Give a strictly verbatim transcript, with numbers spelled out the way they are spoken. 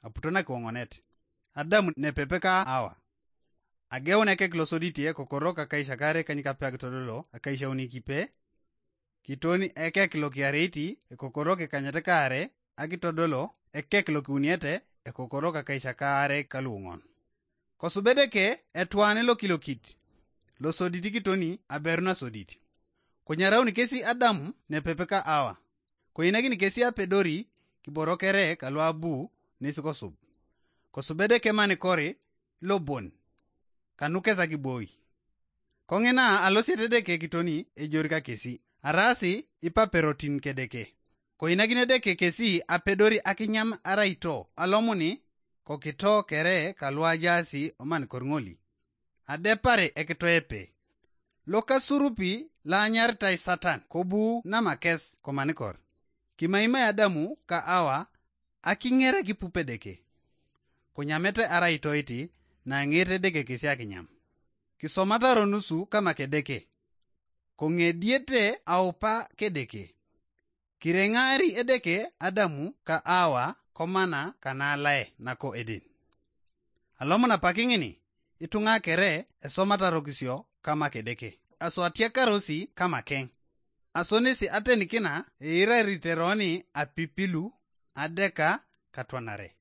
aputo nakiwoŋonet. Adamu nepepe ka Awa. Ageun ekek losodit ekokoro kakaisakare kanyikape akitodolo akaisaunikipee. Kiton ekek lokiareit ekokoro kikanyet kaare akitodolo ekek lokiuniete ekokoro kakaisakare kaluoŋon. Kosub Edeke etwan lokilokit losodit kitoni aberu nasodit. Konyarauni kesi Adamu nepepe ka Awa. Koinakini kesi apedori kiboro kere kalu abu nes kosub. Kosub Edeke manikori lobon kanukes akiboi. Koŋina alosiet Edeke kitoni ejori kakesi, araasi ipaperotin kedeke. Koinakini Edeke kesi apedori akinyam araito alomuni kokito kere kalu ajaasi omanikor ŋoli. Adepare ekitoepe. Lokasurupi laanyaritai Satan kobu namakes komanikor. Kimaimai Adamu ka Awa akiŋer akipup Edeke. Kunyamete arai toiti naŋeet Edeke kesi akinyam. Kisomataro nusu kama kedeke. Koŋediete aupa kedeke. Kireŋaari Edeke Adamu ka Awa komana kanalae nako Eden. Alomon apak ŋini, ituŋa kere esomatarokisio kama kedeke. Aso atiakarosi kama keŋ. Asonesi atenikina eirariteroni apipilu adeka katwanare.